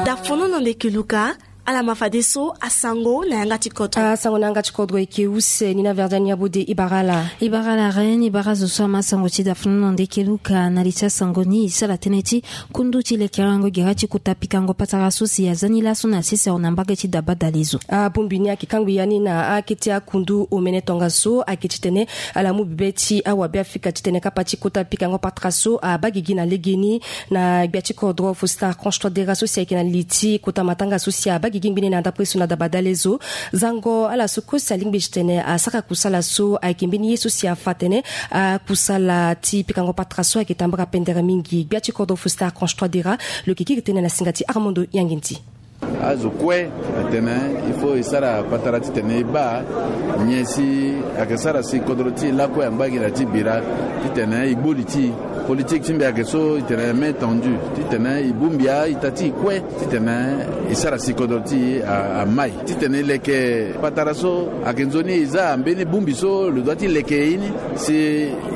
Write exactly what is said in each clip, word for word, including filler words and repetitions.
Dafono na ndeke luka. Ala ma fadeso asango na yanga ti kodro. Asango na yanga ti kodro eke use ni na verdiani abode. Ibara ala. Ibara ala ren ibara zo so ama sango ti dafono na ndeke luka na li ti asango ni e sara tënë ti kundu ti lekerengo gere ti kota pikango patara so si aza ni laso na sese awe na mbage ti daba dalezo. Abongbi ni ayeke kangbi ya ni na akete akundu omene tongaso ayeke titene ala mu bibe ti awabe afrika titene kapa ti kota pikango patara so abaa gigi na legeni. Na gbia ti kodro fostar conche trois dera so si ayeke na li ti kota matanga so si abaa gigi ngbene na ndapre so na daba dalezo. Zango ala so kue si alingbi titene asara kusala so ayeke mbeni ye so si afa atene akusala ti pikango patara so ayeke tambara pendere mingi. Gbia ti kodro fostar conche trois dera lo yeke kiri tënë na singa ti armando yangenti. Azo kue atene il faut e sara patara titene e baa nyen si ayeke sara si kodro ti e lakue angba gi na ti bira titene e gbu li ti e. Politike ti mbi ayeke so e tene main tendue titene e bongbi a-ita ti e kue titene e sara si kodro ti e amai titene e leke patara so ayeke nzoni e za mbeni bongbi so lo doit ti leke ye ni si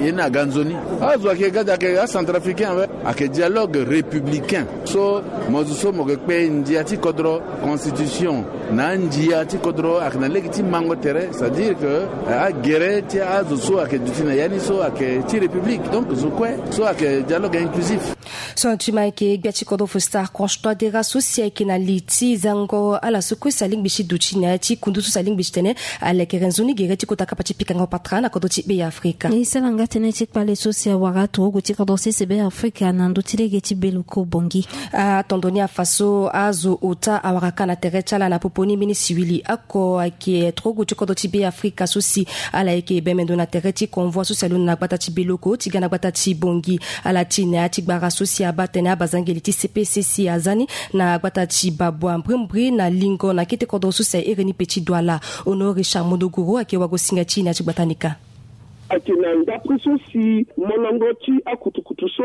ye ni aga nzoni. Azo ayeke gade ayeke acentrafricain awe. Ayeke dialogue républicain so mo zo so mo yeke kpe ndia ti kodro constitution na andia ti kodro ayeke na lege ti mango tere c'est à dire que agere ti azo so ayeke duti na ya ni so ayeke ti république donc zo kue so ayeke dialogue inclusif. So na ti ma ayeke gbia ti kodro fostar conche trois dera so si ayeke na li ti zango ala so kue si alingbi ti duti na ya ti kundu so si alingbi titene alekere nzoni gere ti kota kapa ti pikango patara na kodro ti be ya afrika. E sara nga tënë ti kpale so si awara aturugu ti kodro sese be afrika na ndö ti lege ti beloko bongi. Atondo ni afa so azo ota awara ka na tere ti ala na popo ni mbeni siwili oko ayeke turugu ti kodro ti be afrika so si ala yeke bemendo na tere ti convoi so si alondo na gbata ti beloko ti ga na gbata ti bongi. Ala ti na ya ti gbara so si abaa tene abazangeli ti cpcc aza ni na gbata ti babua mbrimbri na lingo na kete kodro so si ahere ni pe ti duala. Ono richard mondogoro ayeke wagosinga ti e na ya ti gbata ni ka. Ayeke na ndapre so si molongo ti akutukutu so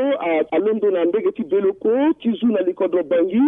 alondo na mbege ti beloko ti zu na likodro bangi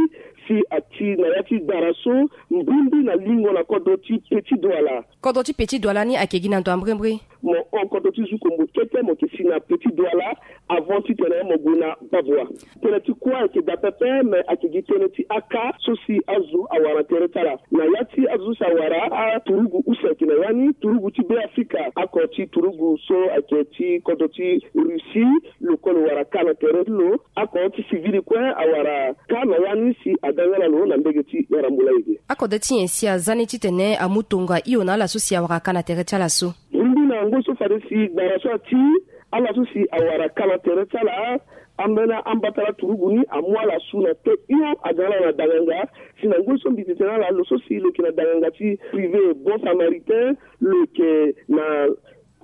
si ati na ya ti dara so mbimbi na lingo na kodro ti petit douala. Kodro ti petit douala ni ayeke gi na ndo ya mbirimbiri. Mo hon kodro ti zu kombo kete mo yeke si na petit douala avant titene mo gue na babua. Tënë ti kua ayeke daa pepe me ayeke gi tënë ti aka so si azo awara na tere ti ala. Na ya ti azo so si awara aturugu use ayeke na ya ni turugu ti be afrika ako ti turugu so ayeke ti kodro ti russie. Lo kue lo wara ka na tere ti lo ako ti sivili kue awara ka na ya ni si aga nga na lo na mbege ti yarambula ege. Akode ti nyen si aza ni titene amu tonga hio na ala so si awara ka na tere ti ala so? Mbi na ngoi so fade si gbara so ati ala so si awara ka na tere ti ala ambeni ambata la turugu ni amu ala su na te hio aga na ala na danganga. Si na ngoi so mbi tete na ala lo so si lo yeke na danganga ti privé bon samaritain lo yeke na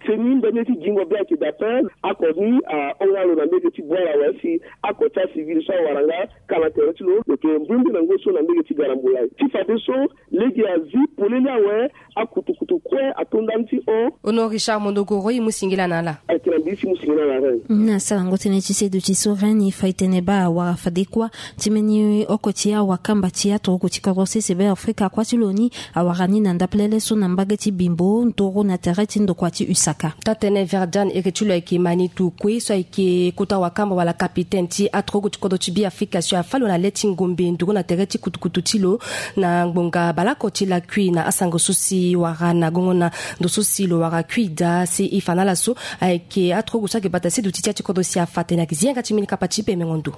seni mbeni ye ti gingo be ayeke daa pe. Ako ni ahon nga lo na mbege ti bwala awe si ako ti acivil so awara nga ka na tere ti lo lo yeke mbrimbri na ngoi so na mbege ti garambula ti fadeso. Lege azi polele awe. Akutukutu kue ato ndani ti hon. Ono richard mondogoro e mu singila na ala. Ayeke na mbi ti mu singila na ala. Na sarango tënë ti seduti so ren e fa e tene baa awara fade kuâ ti mbeni oko ti awakamba ti aturuku ti kodro sese be afrika kuâ ti lo ni awara ni na ndapelele so na mbage ti bimbo ntoro na tere ti ndokua ti usaka. Taa-tënë verdiane iri ti lo ayeke manitu kue so ayeke kota wakamba wala kapitene ti aturuku ti kodro ti be afrika si afa lo na le ti ngombe nduru na tere ti kutukutu ti lo na ngbonga baleoko ti lakui na asango so si wara na gongo na ndo so si lo wara kui daa si e fa na ala so ayeke aturuku so ayeke bata seduti ti ya ti kodro si afa tene ayeke zi yanga ti mbeni kapa ti pemengo ndo.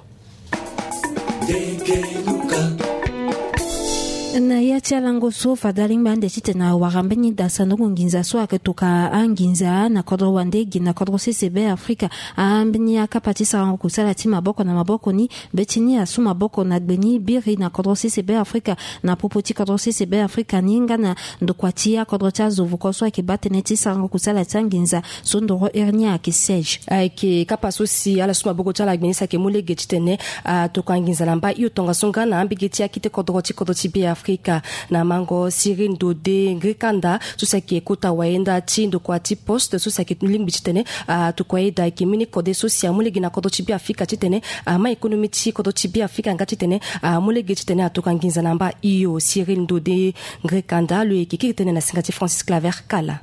Na ya ti alango so fade alingbi ande titene awara mbeni dasandongo nginza so ayeke toka anginza na kodro wande gi na kodro sese be afrika. Ambeni akapa ti sarango kusala ti maboko na maboko ni be ti ni asu maboko na gbe ni biri na kodro sese be afrika na popo ti kodro sese be afrika ni nga na ndokua ti akodro ti azo vuko so ayeke baa tënë ti sarango kusala ti anginza so ndoro iri ni ayeke siège. Ayeke kapa so si ala su maboko ti ala gbe ni si ayeke mu lege titene atokua nginza na mba hio tongaso nga na ambege ti akete kodro ti kodro ti be afrika. Na mango siri ndode ngri kanda so si ayeke kota wayenda ti ndokua ti poste so si ayeke lingbi titene atokua ye daa ayeke mbeni kode so si amu lege na kodro ti be afrika titene ama ekonomi ti kodro ti be afrika nga titene amu lege titene atokua nginza na mba hio siri ndode ngri kanda lo yeke kiri tënë na singa ti francis claver kala.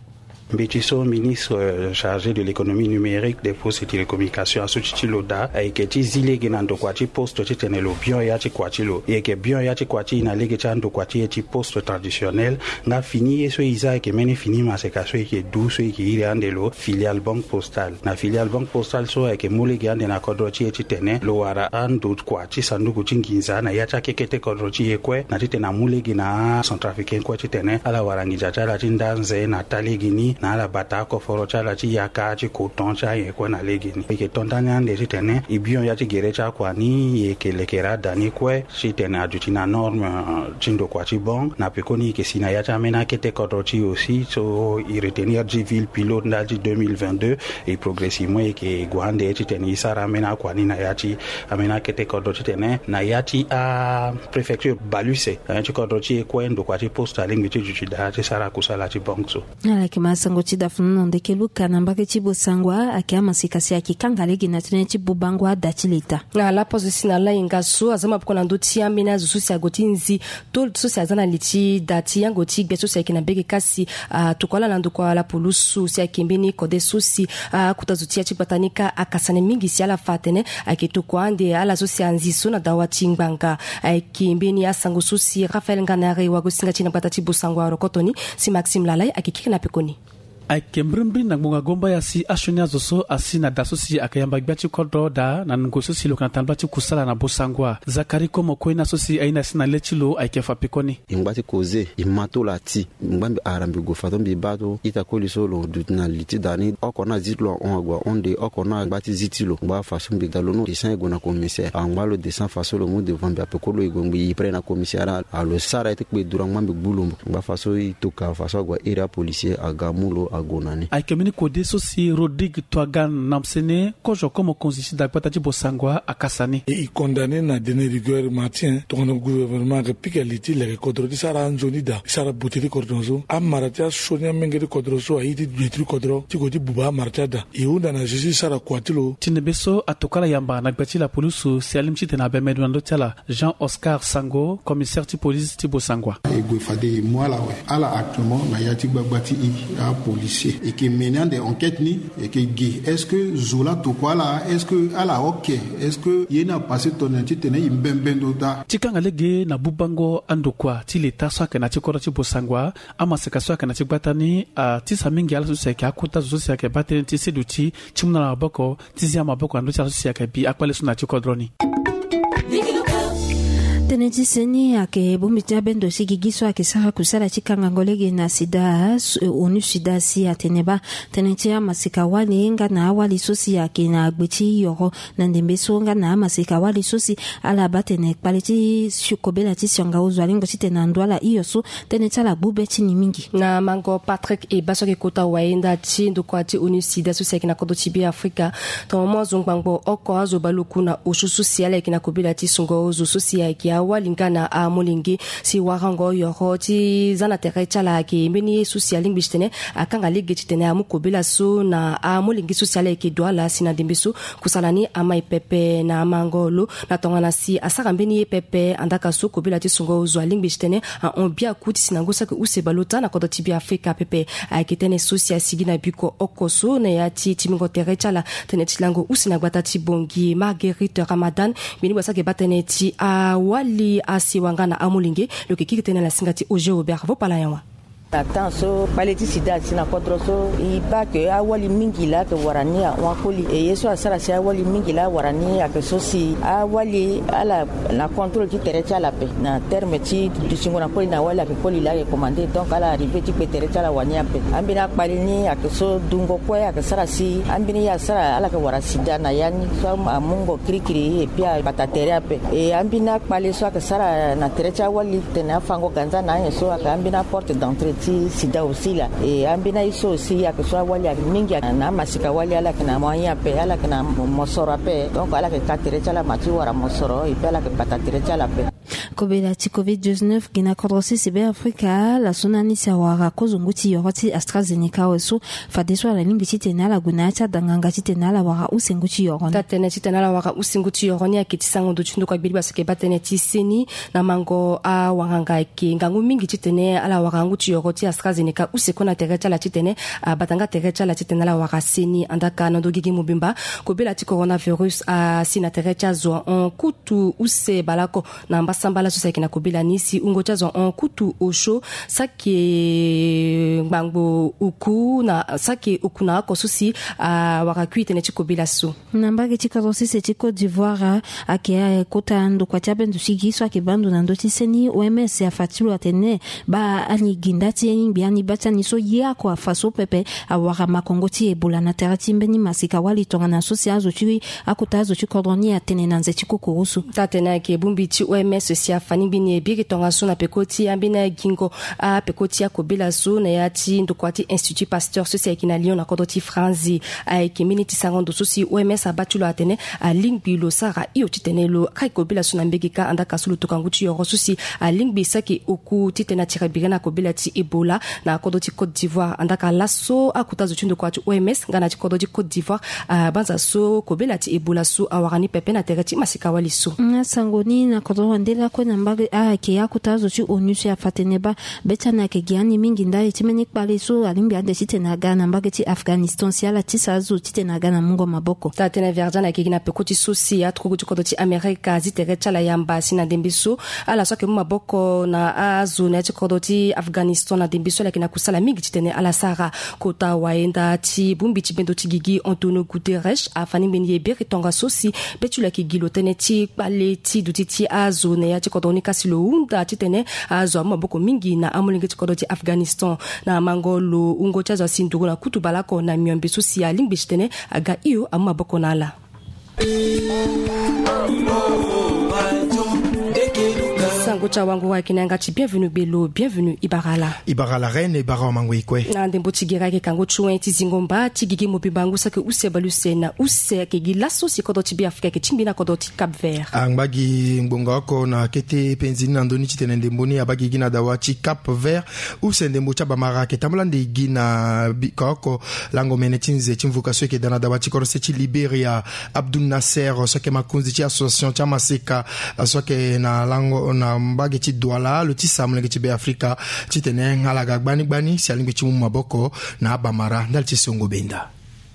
Mbeti so ministre chargé de l'économie numérique, des postes et télécommunications asu ti ti lo daa ayeke ti zi lege na ndokua ti poste titene lo bion ya ti kua ti lo. E yeke bion ya ti kua ti e na lege ti andokua ti e ti poste traditionnel. Nga fini ye so e za ayeke mbeni fini maseka so e yeke du so e yeke iri ande lo filiale banque postale. Na filiale banque postale so ayeke mu lege ande na kodro ti e titene lo wara andokua ti sanduku ti nginza na ya ti akekete kodro ti e kue na titene amu lege na acentrafricain kue titene ala wara nginza ti ala ti nda nze na taa lege ni na ala bata akoforo ti ala ti yaka ti coton ti ayen kue na lege ni. E yeke to ndani ande titene e bion ya ti gere ti akua ni e yeke lekere ada ni kue titene aduti na norme ti ndokua ti banque. Na pekoni e yeke si na ya ti ambeni akete kodro ti e aussi so e retenir ti ville pilote ndali ti deux mille vingt-deux. Et progressivement e yeke gue ande titene e sara ambeni akua ni na ya ti ambeni akete kodro titene na ya ti apréfecture bale use na ya ti kodro ti e kue ndokua ti poste alingbi ti duti daa ti sara kusala ti banque so. Ala yeke ma sango ti dafunu na ndeke luka na mbage ti Bossangoa ayeke amaseka si ayeke kanga lege na tënë ti bubango ada ti leta. Na laposte si na lahinga so aza maboko na ndö ti ambeni azo so si ague ti nzi tôle so si aza na li ti da ti yango ti gbia so si ayeke na mbege kasi atokua ala na ndokua lapulusu si ayeke mbeni kode so si akota zo ti ya ti gbata ni kâ akasani mingi si ala fa atene ayeke tokua ande ala so si anzi so na dawa ti ngbanga. Ayeke mbeni asango so si Raphaël Nganare wagosinga ti na gbata ti Bossangoa arokoto ni si Maxime Lalai ayeke kiri na pekoni. Ayeke mbirimbiri na ngbonga gombaya si asioni azo so asi na da so si ayeke yamba gbia ti kodro daa na ngoi so si lo yeke na tambula ti kusala na Bossangoa. Zacharie Komoko ina so si aye ni asi na le ti lo ayeke fa pekoni. E ngba ti koze e ma tolo ati. Ngba mbi ara mbi gue fa so mbi baa so ita koli so lo duti na li ti da ni oko ni azi ti lo ahon ague ahon nde oko ni agba ti zi ti lo ngba fa so mbi da lo ni descend e gue na commissaire angba lo descend fa so lo mu devant mbi ape koli lo e gue ngbi e prêt na commissaire. Alo sara ye ti kpe dura ngba mbi gbu lo mbo ngba fa so e toka fa so ague airi apolicier aga amu lo ague na ni. Ayeke mbeni kode so si Rodrigue Toagan na msene kozo komo konzi ti da gbata ti Bossangoa akasa ni. E condamné na dene rigueur matin tongana gouvernement ayeke pika li ti leke kodro ti sara anzoni da e sara bute ti kodro so amara ti asioni amenge ti kodro so aye ti duti ti kodro ti gue ti buba amara ti ada. E hunda na Jésus sara kua ti lo. Ti ndembe so atokua ala yamba na gbia ti lapulusu si alingbi titene abembe ndo na ndö ti ala. Jean Oscar Sango, commissaire ti police ti Bossangoa. E gue fade e mu ala awe. Ala actuellement na ya ti gbagba ti e apolicier e yeke mené ande enquête ni. E yeke gi est-ce que zo la tokua ala est-ce que ala oke? Est-ce que ye ni apasse tongana titene e mbembe ndo daa? Ti kanga lege na bubango andokua ti leta so ayeke na ti kodro ti Bossangoa. Amaseka so ayeke na ti gbata ni atisa mingi ala so si ayeke akota zo so si ayeke baa tënë ti seduti ti mu na ala maboko ti zia maboko na ndö ti ala so si ayeke bi akpale so na ya ti kodro ni. Tënë ti seni ayeke bongbi ti abendo ti gigi so ayeke sara kusala ti kangango lege na sida. Onu sida si atene baa tënë ti amaseka wali nga na awali so si ayeke na gbe ti yoro na ndembe so nga na amaseka wali so si ala baa tene kpale ti kobela ti sionga ozo alingbi titene ando ala hio so tënë ti ala gbu be ti ni mingi. Na mango Patrick Eba so ayeke kota wayenda ti ndokua ti onu sida so si ayeke na kodro ti Be Afrika. Tongana mo azo ngbangbo oko azo baluku na osio so si ala yeke na kobela ti sungo ozo so si ayeke awali nga na amolenge si warango yoro ti za na tere ti ala ayeke mbeni ye so si alingbi titene akanga lege titene amu kobela so na amolenge so si ala yeke du ala si na ndembe so kusala ni amai pepe na amango lo. Na tongana si asara mbeni ye pepe andaka so kobela ti sungo ozo alingbi titene ahon biaku ti si na ngu saki use baleota na kodro ti Be Afrika pepe. Ayeke tënë so si asigi na biko oko so na ya ti timbingo tere ti ala tënë ti lango use na gbata ti Bangui Marguerite Ramadan. Mbeni gbasa ayeke baa tënë ti awali asiwa nga na amolenge. Lo yeke kiri tënë na singa ti Auger Aubert vo pala nyawa. Na temps so kpale ti sida asi na kodro so e baa ke awali mingi laa ayeke wara ni ahon akoli e ye so asara si awali mingi laa awara ni ayeke so si awali ala na contrôle ti tere ti ala ape na terme ti dutingo na koli na awali ayeke koli laa ayeke commandé donc ala arrivé ti kpe tere ti ala wani ape. Ambeni akpale ni ayeke so dungo kue ayeke sara si ambeni ye asara ala yeke wara sida na ya ni so amungo kirikiri et puis abata tere ape. E ambeni akpale so ayeke sara na tere ti awali tene afango ganza na anyen so ayeke ambeni aporte d'entrée ti sida aussi laa. E ambeni aye so aussi ayeke so awali ayeke mingi na amasika wali ala yeke na moyen ape ala yeke na mosoro ape donc ala yeke ka tere ti ala ma ti wara mosoro et puis ala yeke bata tere ti ala ape. Kobela ti covid dix-neuf gi na kodro sese Be Afrika laso na ni si awara kozo ngu ti yoro ti AstraZeneca awe so fadeso ala lingbi titene ala gue na ya ti adanganga titene ala wara use ngu ti yoro ni. Taa tënë titene ala wara use ngu ti yoro ni ayeke ti sango ndo ti ndokua gbeli gbasa ayeke baa tënë ti seni na mango awanganga ayeke ngangu mingi titene ala wara ngu ti yoro ti AstraZeneca use kue na tere ti ala titene abata nga tere ti ala titene ala wara seni. Andaka na ndo gigi mobimba, kobela ti coronavirus asi na tere ti azo ahon kutu use baleoko na mbasambala so si ayeke na kobela ni si wungo ti azo ahon kutu osio saki ngbangbo oku na saki oku na oko so si awara kui tënë ti kobela so. Na mbage ti kodro sese ti Côte d'Ivoire, ayeke kota ndokua ti abendo ti gi so ayeke baa ndo na ndö ti seni. O M S afa ti lo atene baa ani gi nda ti lingbi ani baa ti ani so ye oko afa so pepe awara makongo ti Ebola na tere ti mbeni masika wali tongana so si azo ti akota azo ti kodro ni atene na nze ti kokoro so. Taa tene ayeke bongbi ti O M S si afa ni mbeni e biri tongaso na peko ti ambeni agingo apeko ti akobela so na ya ti ndokua ti Institut Pasteur so si ayeke na Lyon na kodro ti Franzi. Ayeke mbeni ti sango ndo so si O M S abaa ti lo atene alingbi lo sara hio titene lo kai kobela so na mbege kâ. Andaka so lo toka ngu ti yoro so si alingbi saki oku titene atira biri na kobela ti Ebola na kodro ti Côte d'Ivoire. Andaka laso akota zo ti ndokua ti O M S nga na ti kodro ti Côte d'Ivoire abanza so kobela ti Ebola so awara ni pepe na tere ti masika wali so. Na sango ni na kodro wande lakue na mbage ayeke akota zo ti ONU si afa tene baa be ti ani ayeke gi ani mingi ndali ti mbeni kpale so alingbi ande titene aga na mbage ti Afghanistan si ala tisa azo titene aga na mungo maboko. Taa tënë Verdian ayeke gi na peko ti so si aturugu ti kodro ti Amerika azi tere ti ala yamba si na ndembe so ala so ayeke mu maboko na azo na ya ti kodro ti Afghanistan na ndembe so ala yeke na kusala mingi titene ala sara. Kota wayenda ti bongbi ti bendo ti gigi Antonio Guterres afa ni mbeni ye biri tongaso si be ti lo ayeke gi lo tënë ti kpale ti duti ti azo na ya ti kodro ni kasi lo hunda titene azo amu maboko mingi na amolenge ti kodro ti Afghanistan. Na mango lo wungo ti azo asi nduru na kutu baleoko na miombe so si alingbi titene aga hio amu maboko na ala. Sango ti awango ayeke na yanga ti Bienvenu Belo. Bienvenu, e bara ala. E bara ala Reine, e bara awamango e kue. Na ndembo ti gere ayeke kango ti wen ti zingo mba ti gigi mobimba ngu saki use baleuse na use ayeke gi laso si kodro ti Beafrika ayeke tingbi na kodro ti Cap Vert. Angba gi ngbonga oko na kete penzi ni na ndö ni titene ndembo ni abaa gigi na dawa ti Cap Vert. Use ndembo ti abamara ayeke tambula ande gi na bika oko lango mene ti nze ti mvuka so ayeke daa na dawa ti korose ti Liberia. Abdul Nasser so ayeke makonzi ti association ti amaseka so ayeke na lango na mbage ti Douala lo tisa molenge ti Beafrika titene ala ga gbani gbani si alingbi ti mu maboko na abamara ndali ti songo benda.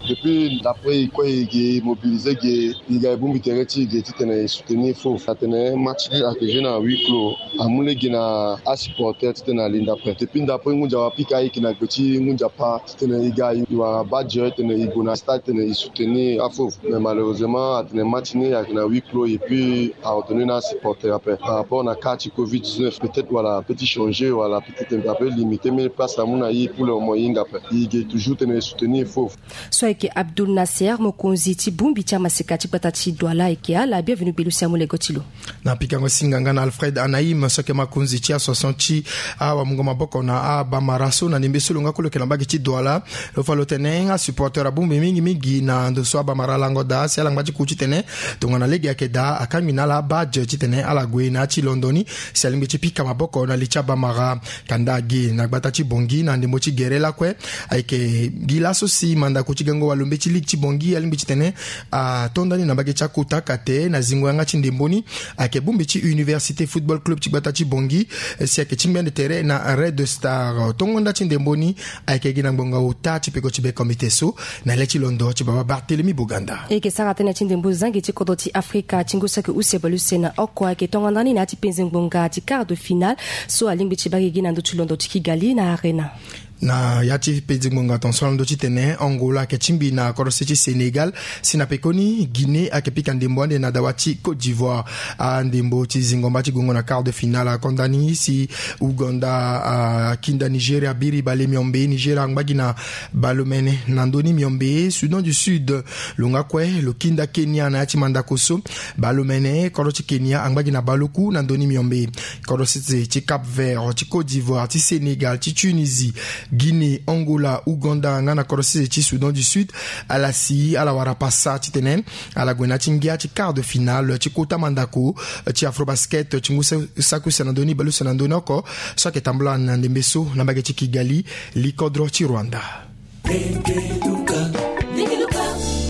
Depuis d'après e kue e ge mobiliser ge e ga e bongbi tere ti e ge titene e soutenir faux atene match ni ayeke jouer na huis clos. Amu lege na asupporter titene ali ndapre depuis ndapre ngunza wapika ayeke na gbe ti ngunza pa titene e ga e wara badge titene e gue na stade titene e soutenir afaux. Mais malheureusement atene match ni ayeke na huis clos et puis aordonner na asupporter ape par rapport na cas ti covid dix-neuf, peut-être wala ape ti changer wala peut-être ape limiter mbeni place amu na e pour le moment e hinga ape. E ge toujours titene e soutenir faux. So ayeke Abdul Nasser mokonzi ti bongbi ti amaseka ti gbata ti Douala ayeke ala Bienvenu Belo si amu lego ti lo. Na pikango singa nga na Alfred Anaïm so ayeke makonzi ti association ti awamungo maboko na abamara so na ndembe so lo nga kue lo yeke na mbage ti Douala. Lo fa lo tene asupporter abongbi mingi mingi na ndo so abamara alango daa si ala ngba ti ku titene tongana lege ayeke daa akangbi na ala abadge titene ala gue na ya ti londo ni si alingbi ti pika maboko na li ti abamara. Kanda agi na gbata ti Bangui na ndembo ti gere lakue. Ayeke gi laso si mandako ti gango walombe ti ligue ti Bangui alingbi titene ato ndani na mbage ti akota kate na zingo yanga ti ndembo ni. Ayeke bongbi ti Université Football Club ti gbata ti Bangui si ayeke tingbi ande tere na Red Star. Tongo nda ti ndembo ni ayeke gi na ngbonga ota ti peko ti be comité so na le ti londo ti baba Barthélemy Boganda. E yeke sara tënë ti ndembo zangi ti kodro ti Afrika ti ngu saki use baleuse na oko ayeke tongo ndani na ya ti penze ngbonga ti quart de finale so alingbi ti baa gigi na ndö ti londo ti Kigali na Arena. Na ya ti penze ngbonga tongaso na ndö titene Angola ayeke tingbi na korose ti Sénégal si na pekoni Guinée ayeke pika ndembo ande na dawa ti Côte d'Ivoire. Andembo ti zingo mba ti gongo na quart de finale ako ndani si Ouganda akinda Nigeria biri bale miombe. Nigeria angba gi na bale omene na ndö ni miombe. Soudan du Sud lo nga kue lo kinda Kenya na ya ti mandako so. Bale omene kodro ti Kenya angba gi na bale oku na ndö ni miombe. Kodro sese ti Cap Vert, ti Côte d'Ivoire, ti Sénégal, ti Tunisie, Guinée, Angola, Ouganda nga na kodro sese ti Soudan du Sud ala si ala wara pasa titene ala gue na ya ti ngia ti quart de finale ti kota mandako ti Afrobasket ti ngu saki use na ndö ni baleuse na ndö ni oko so ayeke tambula na ndembe so na mbage ti Kigali, likodro ti Rwanda.